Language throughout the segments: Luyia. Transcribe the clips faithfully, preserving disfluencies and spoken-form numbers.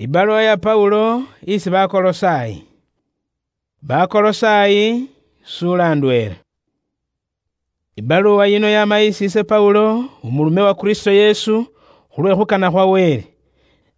Ibaluwa ya Paulo isi Bakolosayi. Bakolosayi, sula ndwela. Ibaluwa yino yama isi ise Paulo, umulume wa Kristo Yesu, khulwe khukana khwa Wele,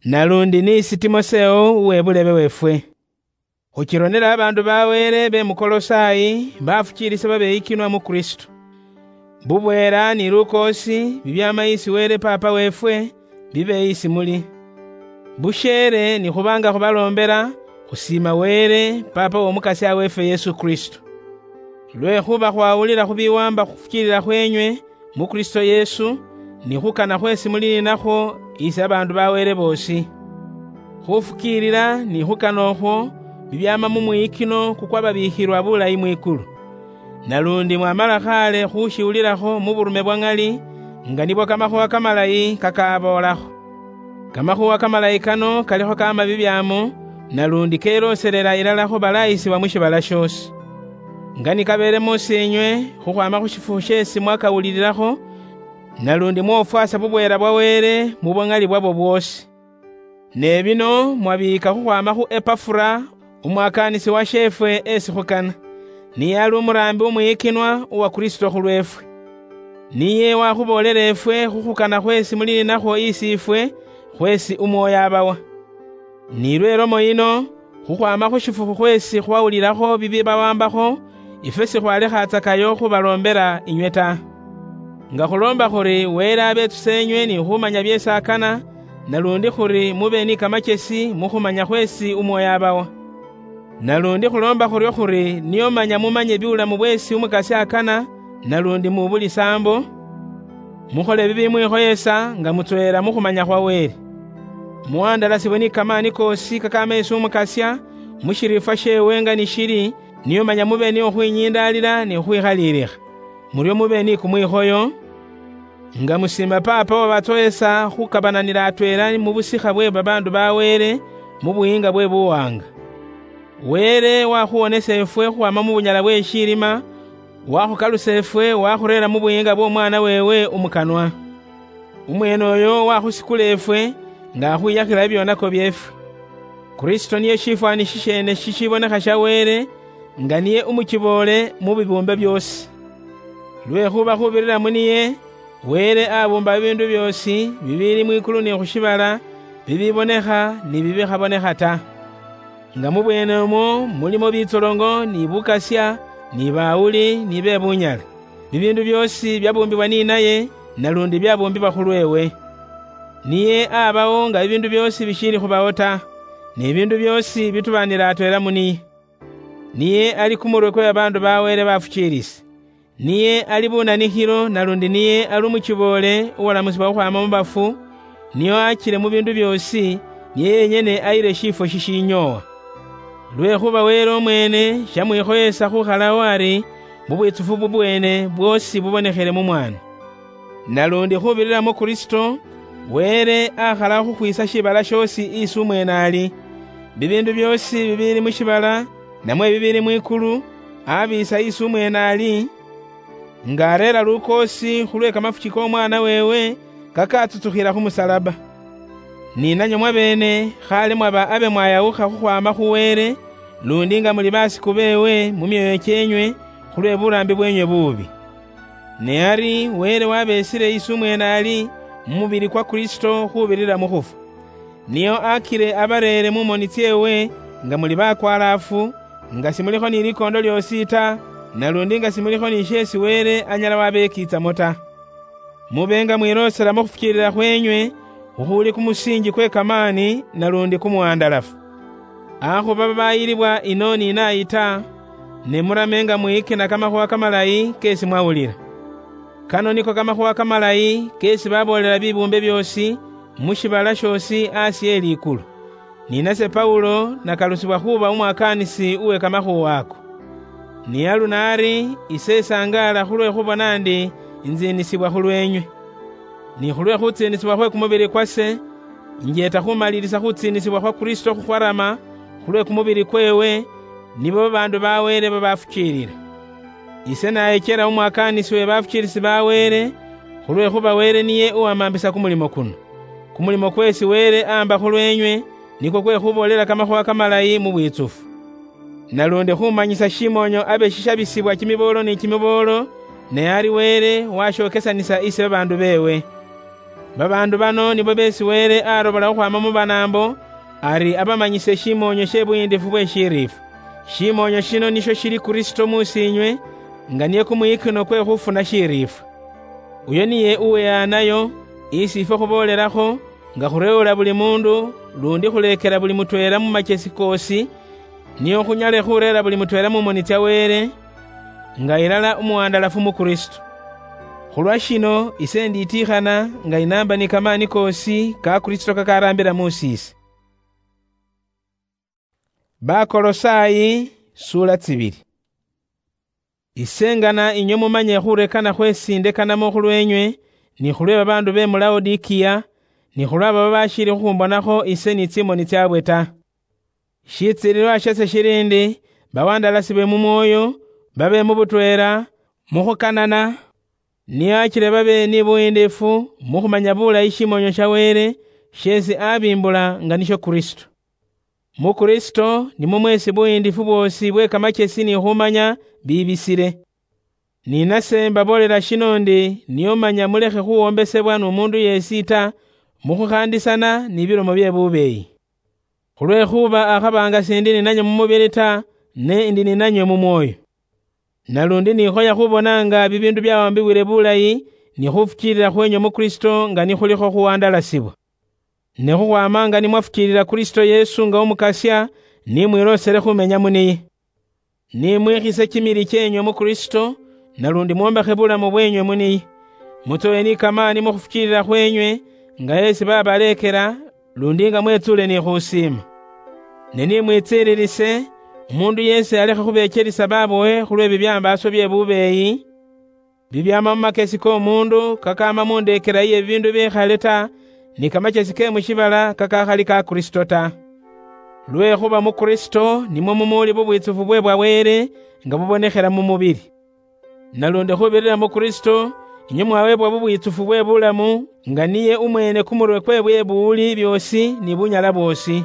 nalundi ni isi Timoseo uwe bulebe wefwe. Khuchironela abandu ba Wele be mu Kolosayi, bafuchilisa babeyikinwa mu Kristo. Bubwela ni lukoosi bibyama isi Wele Papa wefwe, bibe isi muli. Busheele ni khubanga khubalombela, khusiima Wele, Papa w'Omukasya weefwe Yesu Kristo. Lwekhuba khwawulila khu biwamba khufukiilila khweenywe mu Kristo Yesu, ni khukana khweesi muli ninakhwo isi abaandu ba Wele boosi. Khufukiilila ni khukana okhwo bibyaama mu mwiikino kukwababiikhilwa bulayi mwikulu. Nalundi mwamala khaale khushiwulilakho mu burume bwa ŋali, nga nibwo kamakhuwa kamalayi kakaboolakho. Kamakhuwa kamalayi kano kalikho kama bibyaamo, nalundi kelooselela ilala khu balayisibwa mu shibala shoosi. Nga nikabeele mus'inywe khukhwaama khu shifukhu sheesi mwakawulililakho, nalundi mwofwasa bubweela bwa Wele mu bwa ŋali bwabwo bwoosi. Ne bino mwabiika khukhwaama khu Epafura, umwakaanisi washeefwe esi khukana, niye ali umuraambi umwiyikinwa uwa Kristo khulweefwe. Niye wakhuboolela efwe khukhukana khweesi muli ninakhwo isi ifwe, khweesi Umwoyo abawa. Ni lwe lomo yino, khukhwaama khu shifukhu khweesi khwawulilakho bibibawambakho, ifwe sikhwalekhatsakayo khubaloombela inywe ta. Nga khuloomba khuri Wele abetsusenywe ni khumanya byeesi akana, nalundi khuri mube ni kamachesi mu khumanya khweesi Umwoyo abawa. Nalundi khuloomba khuryo khuri nio manya mumanye biulamu bweesi Umukasya akana, nalundi mu buli saambo, mukhole bibimwikhoyesa nga mutsweela mu khumanya khwa Wele. Muhandalasibwe ni kamaani koosi kakaama esi Umukasya, mu shiriifwa sheewe nga ni shili, nio manya mube ni khukhwinyindaalila ni khukhwikhaliilikha. Muryo mube ni kumwikhoyo, nga musiima Paapa wabatsoyesa khukabananila atweela mu busikha bwe babaandu ba Wele mu buyiinga bwe buwaanga. Wele wakhuwonesa efwe khukhwaama mu bunyala bwe shilima, wakhukalusa efwe wakhureera mu buyiinga bw'Omwana weewe umukanwa. Umweene oyo wakhusikula efwe nga akhwiyakhila ebyonako byeefwe. Kristo niye shifwani shisheene shishibonekha sha Wele, nga niye umukiboole mu bibuumbe byoosi. Lwekhuba khubirira mu niye, Wele abuumba bibiindu byoosi bibiili mwikulu ni khu shiibala, bibibonekha ni bibikhabonekha ta. Nga mu bweene umwo mulimo bitsolongo ni bukasya ni bawuli ni be bunyala, bibiindu byoosi byabuumbibwa ni naye, nalundi byabuumbibwa khulweewe. Niye abawo nga bibiindu byoosi bishiili khubawo ta, ne bibiindu byoosi bitubaanila atweela mu niye. Niye ali kumurwe kwe babaandu ba Wele bafukiilisi. Niye ali bunanikhilo, nalundi niye ali umukiboole uwalamusibwa khukhwaama mu bafu, nio achile mu biindu byoosi, niye yenyene ayile shiifwo shishinyoowa. Lwekhuba Wele umweene shamwikhoyesa khukhalawo ari, mu bwitsufu bubweene bwoosi bubonekhele mu Mwana. Nalundi khubirira mu Kristo, Wele akhala khukhwiisa shiibala shoosi isi umweene ali. Bibiindu byoosi bibiili mu shiibala, namwe bibiili mwikulu, abiisa isi umweene ali, nga areera lukoosi khulwe kamafuki k'Omwana weewe kakatsutsukhila khu musalaba. Ni nanywe mwabeene khale mwaba abe mwayawukha khukhwaama khu Wele, lundi nga muli basiku beewe mu myoyo kyeenywe khulwe buraambi bwenywe buubi. Ne ari Wele wabesile isi umweene ali mu mubili kwa Kristo khubirira mu khufwa. Nio akile abareere mu moni tseewe nga muli bakwalaafu, nga simulikho ni likondo lyoosi ta, nalundi nga simulikho ni sheesi Wele anyala wabekiitsamo ta. Mube nga mwiloosela mu khufukiilila khweenywe, khukhuli kumusiinji kwe kamaani nalundi kumuwandalafu. Akhuba babayilibwa ino ni nayi ta, ne murame nga mwikina kamakhuwa kamalayi keesi mwawulila. Kano niko kamakhuwa kamalayi keesi baboolela bibuumbe byoosi mu shiibala shoosi asi e likulu. Ni nase Paulo nakalusibwa khuuba umwakaanisi uwe kamakhuuwa ako. Ni aluno ari ise isangaala khulwe khubona ndi inziinisibwa khulweenywe. Ni khulwe khutsiinisibwa khwe kumubili kwase, injeeta khumalilisa khutsiinisibwa khwa Kristo khukhwarama khulwe kumubili kweewe, nibo babaandu ba Wele babafukiilila. Ise nayechela umwakaanisi we bafukiilisi ba Wele, khulwekhuba Wele niye uwamambisa kumulimo kuno. Kumulimo kweesi Wele amba khulweenywe, nikwo kwe khuboolela kamakhuwa kamalayi mu bwitsufu. Nalundi khumanyisa shimoonyo abe shishabisibwa kimiboolo ni kimiboolo, ne ari Wele washokesanisa isi babaandu beewe. Babaandu bano nibo beesi Wele arobola khukhwaama mu banaambo, ari abamanyise shimoonyo she buyiindifu bwe shiriifwa. Shimoonyo shino nisho shili Kristo muusiinywe, nga niye kumuyikino kwe khufuna shiriifwa. Uyo niye uweyaanayo, isi ifwe khuboolelakho, nga khureewula buli muundu, lundi khuleekela buli mutweela mu machesi koosi, nio khunyale khureera buli mutweela mu moni tsya Wele, nga ilala umuwandalafu mu Kristo. Khulwa shino, ise nditiikhana nga inaamba ni kamaani koosi ka Kristo kakaraambila mu siise. Bakolosai, sura tsibili. Ise ngana inywe mumanye khurekana khwesi ndekanamo khulwenywe, ni khulwe babaandu be mu Laodikia, ni khulwa baba bashiili khukhumbonakho ise ni tsimoni tsyabwe ta. Shitsiililwa shase shili ndi, bawandalasibwe mu mwoyo, babe mu butweela, mu khukanana, nio achile babe ni buyiindifu mu khumanya bulayi shimoonyo sha Wele, sheesi abimbula nga nisho Kristo. Mu Kristo nimwo mweesi buyiindifu bwoosi bwe kamachesi ni khumanya bibisile. Ni nase mbaboolela shino ndi, nio manya mulekhe khuwombesebwa n'omuundu yeesi ta, mu khukhaandisana ni bilomo bye bubeeyi. Khulwekhuba akhaba nga sindi ninanywe mu mubili ta, ne ndi ninanywe mu mwoyo. Nalundi nikhoya khubona nga bibiindu byawambiwile bulayi, ni khufukiilila khwenywe mu Kristo nga nikhulikho khuwandalasibwa. Ne khukhwama nga nimwafukiilila Kristo Yesu nga Umukasya, ni mwiloosele khumenya mu niye. Ni mwikhise kimili kyenywe mu Kristo, nalundi mwombekhe bulamu bwenywe mu niye. Mutsowe ni kamaani mu khufukiilila khwenywe, nga yesi babaleekela, lundi nga mwetsuule ni khusiima. Ne ni mwitsiililise, umuundu yeesi alekhe khubeechelisa babowe khulwe bibyambaaso bye bubeeyi, bibyaama mu makesi k'omuundu, kakaama mu ndeekela iye bibiindu bikhale ta, ni kamachesi ke mu shiibala kakakhali ka Kristo ta. Lwekhuba mu Kristo nimwo mumuuli bubwitsufu bwe bwa Wele, nga bubonekhela mu mubili. Nalundi khubirira mu Kristo, inywe mwaweebwa bubwitsufu bwe bulamu, nga niye umweene kumurwe kwe bwe buwuli byoosi ni bunyala bwoosi.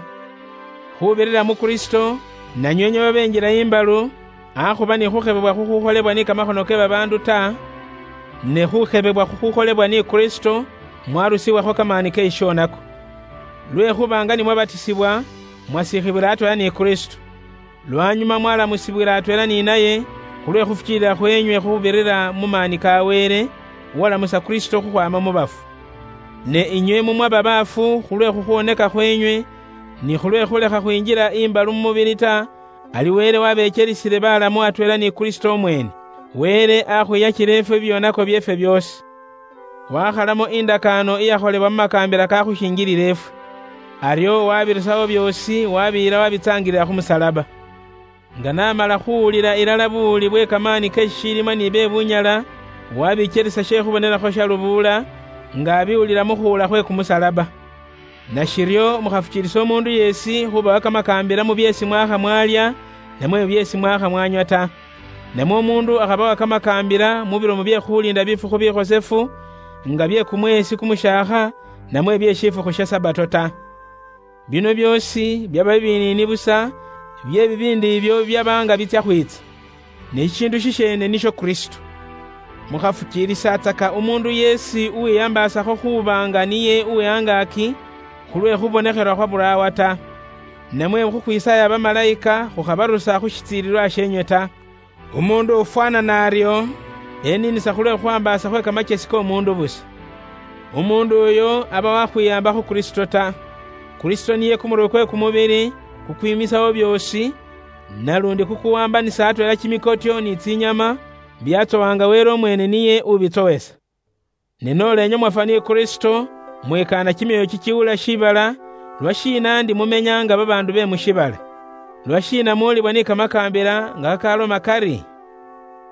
Khubirira mu Kristo, nanywe inywe babenjila imbalu, akhuba ni khukhebebwa khukhukholebwa ni kamakhono ke babaandu ta, ne khukhebebwa khukhukholebwa ni Kristo, mwarusiwakho kamaani ke shishonako. Lwekhuba nga nimwabatisibwa, mwasikhibwila atweela ni Kristo. Lwanyuma mwalamusibwila atweela ni naye, khulwe khufukiilila khwenywe khubirira mu maani ka Wele, uwalamusa Kristo khukhwama mu bafu. Ne inywe mumwaba baafu khulwe khukhwoneka khwenywe, ni khulwe khulekha khwinjila imbalu mu mubili ta, ali Wele wabechelisile balamu atweela ni Kristo umwene. Wele akhwiyachile ifwe bibyonako byeefwe byoosi. Wakhalamo indakaano iyakholebwa mu makaambila kakhushinjilila efwe. Aryo wabirusawo byoosi, wabiyila wabitsaangilila khu musalaba. Nga namala khuwulila ilala buwuli bwe kamaani ke shishiilima ni be bunyala, wabikyelisa she khubonelakho sha lubuula, nga abiwulila mu khuwula khwe kumusalaba. Nashiryo mukhafukiilisa umuundu yeesi khubawa kamakaambila mu byeesi mwakha mwalya, namwe mu byeesi mwakha mwanywa ta. Namwe umuundu akhabawa kamakaambila mu bilomo bye khuliinda bifukhu bikhosefu, nga bye kumweesi kumushaakha, namwe bye shifukhu sha Sabato ta. Bino byoosi byaba bibiniini busa, bye bibiindi ibyo byaba nga bitsya khwiitsa. Ne shishiindu shisheene nisho Kristo. Mukhafukiilisatsaka umuundu yeesi uwiyambaasakho khuuba nga niye uwe angaaki, khulwe khubonekhelwa khwa buraawa ta. Namwe khukhwisaaya bamalayika khukhabarusa khu shitsiililwa sheenywe ta. Umuundu ufwaana n'aryo, eniinisa khulwe khuhambaasa khwe kamakyesi k'omuundu busa. Umuundu uyo aba wakhwiyaamba khu Kristo ta. Kristo niye kumurwe kwe kumubili, kukwimisawo byoosi, nalundi kukuwambanisa atweela kimikotyo ni tsinyama, byatsowa nga Wele umweene niye ubitsowesa. Ne noola inywe mwafwa ni Kristo, mwikaana kimyoyo kikiwula shiibala, lwashiina ndi mumenya nga babaandu be mu shiibala? Lwashiina muulibwa ni kamakaambila nga kakaloma kari,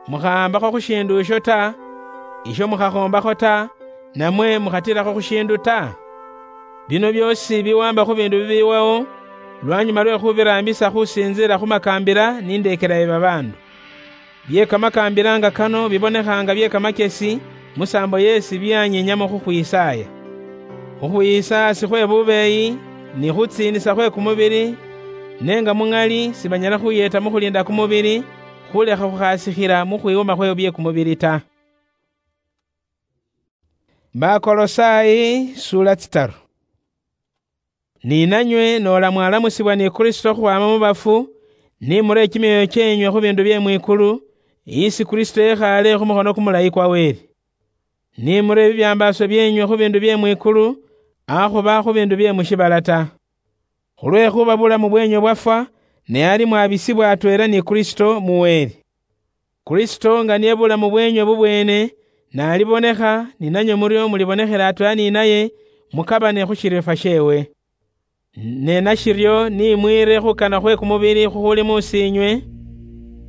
"Mukhahambakho khu shiindu isho ta, isho mukhakhombakho ta, namwe mukhatilakho khu shiindu ta"? Bino byoosi biwamba khu biindu bibiiwawo, lwanyuma lwe khubiraambisa khusinziila khu makaambila ni ndeekela ye babaandu. Bye kamakaambila nga kano bibonekha nga bye kamakyesi, musaambo yeesi byanyinyamo khukhwisaaya. Khukhwiisa si khwe bubeeyi, ni khutsiinisa khwe kumubili, ne nga muŋali sibanyala khuyeta mu khulinda kumubili, khulekha khukhasikhila mu khwiwuma khwe bye kumubili ta. Bakolosai sura tsitaru. Ni nanywe noola mwalamusibwa ni Kristo khukhwama mu bafu, ni mure kimyoyo kyenywe khu bindu bye mwikulu, isi Kristo yekhaale khu mukhono kumulayi kwa Wele. Ni mure bibyambaaso byenywe khu bindu bye mwikulu, akhuba khu bindu bye mu shibala ta. Khulwekhuba bulamu bwenywe bwafwa, ne ali mwabisibwa atweela ni Kristo mu Wele. Kristo nga niye bulamu bwenywe bubwene, nalibonekha, ni nanywe murio mulibonekhela atweela ni naye, mukabane khu shirifwa shewe. Ne nashiryo ni mwiire khukana khwe kumubili khukhuli musiinywe,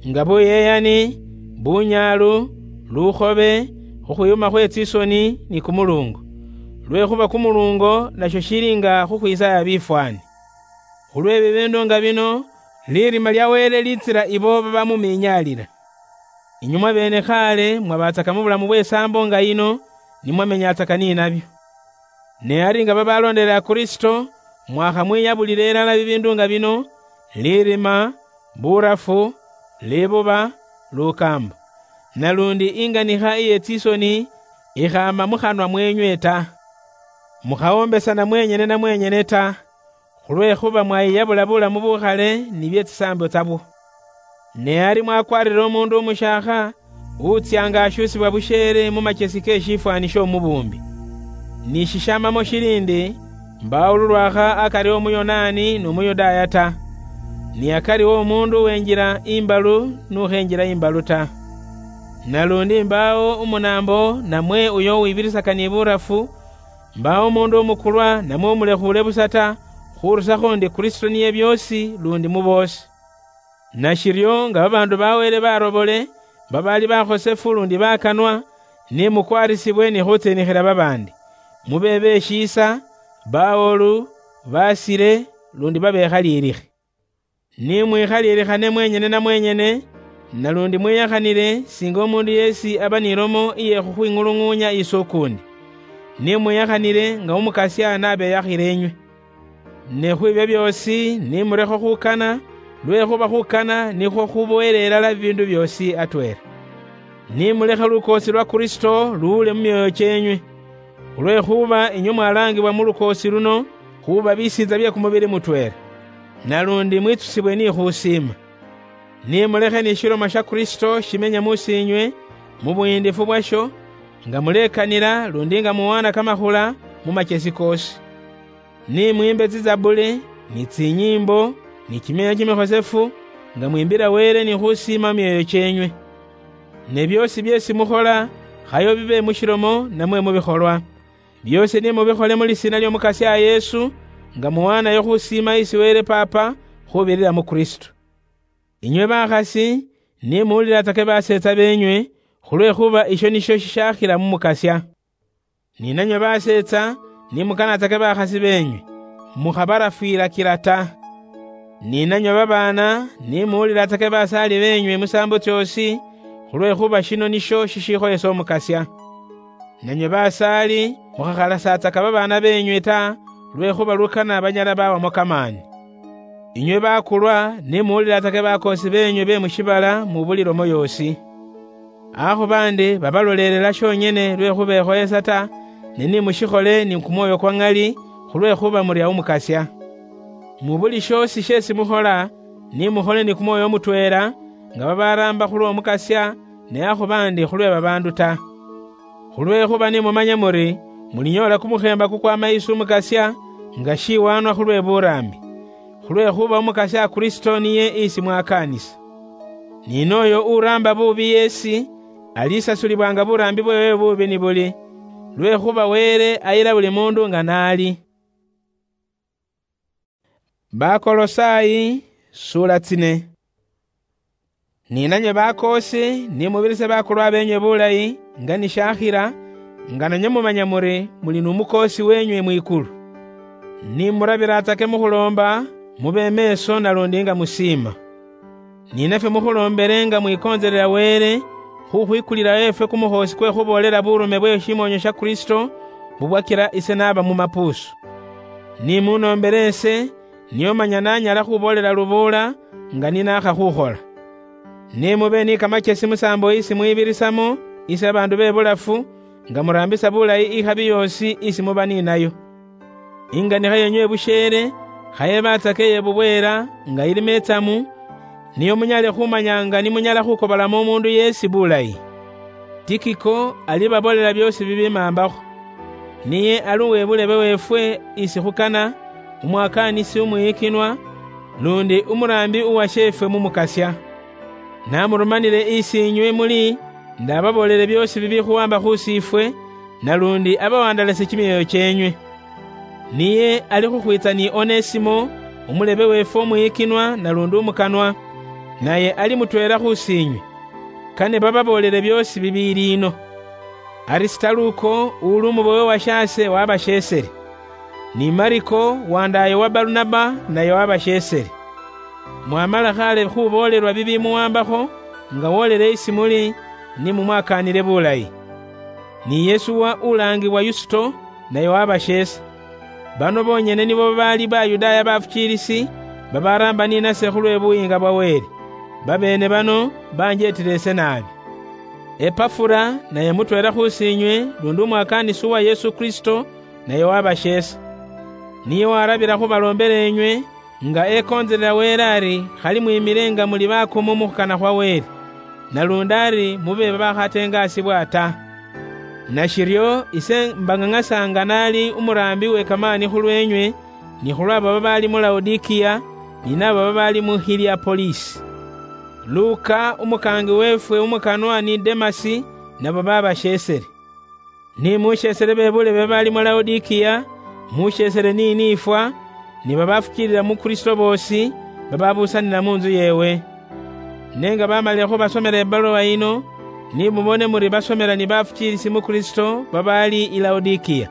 nga buyeyani, bunyaalu, lukhobe, khukhwiyuma khwe tsisoni ni kumulungo. Lwekhuba kumulungo nasho shili nga khukhwitsaya bifwani. Khulwe bibindu nga bino, lirima lya Wele litsila ibo babamuminyaalila. Inywe mwabeene khaale mwabatsaka mu bulamu bw'esaambo nga yino, ni mwamenyatsaka ni nabyo. Ne ari nga babaloondelela Kristo, mwakhamwiyabulila ilala bibindu nga bino, lirima, burafu, libuba, lukaambo, nalundi inganikha iye tsisoni ikhaama mu khanwa mweenywe ta. Mukhawombesana mwenyene na mwenyene ta, khulwekhuba mwayiyabula bulamu bukhale ni bye tsisaambo tsabwo. Ne ari mwakwarire omundu umushaakha, utsya nga ashuusibwa busheele mu machesi ke shifwani sh'Omubuumbi. Ni shishamamo shili ndi, mbaawo lulwakha akari w'Omuyonaani n'Omuyudaaya ta, ni akari w'omundu uwenjila imbalu n'ukhenjila imbalu ta. Nalundi mbaawo umunaambo namwe uyo uwibirisaka ni burafu, mbaawo omundu umukulwa namwe umulekhuule busa ta, khurusakho ndi Kristo niye byoosi lundi mu boosi. Nashiryo nga babaandu ba Wele barobole, babaali bakhosefu lundi bakanwa, ni mukwarisibwe ni khutsinikhila babaandi, mube beshiisa, bawoolu, basile, lundi babekhaliilikhe. Ni mwikhaliilikhane mwenyene na mwenyene, nalundi mwiyakhanile singa omundu yeesi aba ni lomo iye khukhwing'ulung'uunya isi ukuundi. Ni mwiyakhanile nga Umukasya nabeyakhile inywe. Ne khwibyo byoosi ni mulekhe khukana, lwekhuba khukana nikhwo khuboyela ilala bibiindu byoosi atweela. Ni mulekhe lukoosi lwa Kristo luwule mu myoyo kyeenywe, khulwekhuba inywe mwalaangibwa mu lukoosi luno khuuba bisiintsa bye kumubili mutweela, nalundi mwitsusibwe ni khusiima. Ni mulekhe ni shilomo sha Kristo shimenye mu siinywe mu buyiindifu bwasho, nga mulekanila lundi nga muwaana kamakhula mu machesi koosi. Ni mwiimbe tsizabuli, ni tsinyiimbo, ni kimyeenya kimikhosefu, nga mwiimbila Wele ni khusiima mu myoyo kyeenywe. Ne byoosi byeesi mukhola, khayo bibe mu shilomo namwe mu bikholwa, byoosi ni mubikhole mu lisiina ly'Omukasya Yesu, nga muwaanayo khusiima isi Wele Paapa khubirira mu Kristo. Inywe bakhasi, ni muwuliratsake baseetsa beenywe, khulwekhuba isho nisho shishakhila mu Mukasya. Ni nanywe baseetsa, ni mukanatsake bakhasi beenywe, mukhabarafwilakila ta. Ni nanywe babaana, ni muwuliratsake basaali beenywe musaambo tsyoosi, khulwekhuba shino nisho shishikhoyesa Omukasya. Nanywe basaali, mukhakhalasatsaka babaana beenywe ta, lwekhuba lukana banyala bawamo kamaani. Inywe bakulwa, ni muwuliratsake bakoosi beenywe be mu shiibala mu buli lomo yoosi. Akhuba ndi babalolelela shonyene lwe khubekhoyesa ta, ne ni mushikhole ni kumwoyo kwa ŋali, khulwekhuba muri aw'Omukasya. Mu buli shoosi sheesi mukhola, ni mukhole ni kumwoyo mutweela, nga babaraamba khulw'Omukasya, ne akhuba ndi khulwe babaandu ta. Khulwekhuba ni mumanye muri, mulinyoola kumukheemba kukwama isi Umukasya, nga shiwaanwa khulwe buraambi. Khulwekhuba Umukasya Kristo niye isi mwakaanisa. Ni nooyo uraamba buubi yeesi, alisasulibwaanga buraambi bweewe buubi nibuli, lwekhuba Wele ayila buli muundu nga naali. Bakolosai, sura tsine. Ni nanywe bakoosi, ni mubirise bakulwa beenywe bulayi, nga nishakhila, nga nanywe mumanya muri muli nu mukoosi weenywe mwikulu. Ni murabiratsake mu khuloomba, mube meeso nalundi nga musiima. Ni nafwe mukhuloombele nga mwikontselela Wele, khukhwikulilayo efwe kumukhoosi kwe khuboolela burume bwe shimoonyo sha Kristo, bubwakila ise naaba mu mapuusu. Nimunoombere ese, nio manya nanyala khuboolela lubuula nga ninakha khukhola. Ne mube ni kamachesi musaambo isi mwibirisamo isi babaandu be bulafu, nga muraambisa bulayi ikhabi yoosi isi muba ninayo. Inganikha yenywe ibusheele, khayebatsake ye bubweela nga ili metsamu, nio munyale khumanya nga nimunyala khukobolamo omuundu yeesi bulayi. Tikiko alibaboolela byoosi bibimaambakho. Niye ali uwe bulebe weefwe isi khukana, umwakaanisi umwiyikinwa, lundi umuraambi uwasheefwe mu Mukasya. Namurumanile isi inywe muli, ndababoolele byoosi bibikhuwamba khu siifwe, nalundi abawandalase kimyoyo kyeenywe. Niye ali khukhwiitsa ni Onesimo, umulebe weefwe umwiyikinwa nalundi umukanwa, naye ali mutweela khu siinywe. Kane bababoolele byoosi bibiiliino. Arisitaluko, uli umubowe wa shaase, wabasheesele. Ni Mariko, wandaaye wa Barunaba, naye wabasheesele. Mwamala khale khuboolelwa bibimuwambakho, nga wolele isi muli, ni mumwakaanile bulayi. Ni Yesuwa ulaangibwa Yusito, naye wabasheesa. Bano bonyene nibo babaali Bayudaaya bafukiilisi, babaraamba ninase khulwe buyiinga bwa Wele. Babeene bano banjeetile ise naabi. Epafura, naye mutweela khu siinywe, lundi umwakaanisi uwa Yesu Kristo, naye wabasheesa. Niye warabila khubaloombela enywe, nga ekoonzelela Wele ari khali mwimile nga muli bakomo mu khukana khwa Wele, nalundi ari mube babakhatengaasibwa ta. Nashiryo ise mbang'ang'asa nga nali umuraambi we kamaani khulweenywe, ni khulw'abo babaali mu Laodikiya, ni nabo babaali mu Hiliapolisi. Luka, umukaangi weefwe umukanwa, ni Demasi, nabo babasheesele. Ni musheesele bebuule be babaali mu Laodikiya, musheesele ni niifwa, ni babafukiilila mu Kristo boosi, bababuusanila mu ntsu yeewe. Ne nga bamalile khubasomela ebaluwa yino, ni mubone muri basomela ni bafukiilisi mu Kristo babaali i Laodikiya.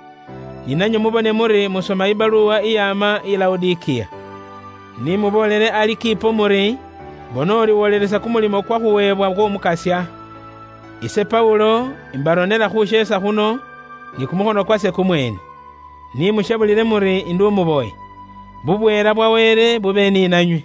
Ni nanywe mubone muri musoma ibaluwa iyaama i Laodikiya. Ni muboolele Alikipo muri, bona ori wolelesa kumulimo kwa khuweebwa kw'Omukasya. Ise Paulo, imbaronela khusheesa khuno, ni kumukhono kwase kumweene. Ni mushebulile muri indi umuboye. Bubweela bwa Wele bube ni nanywe.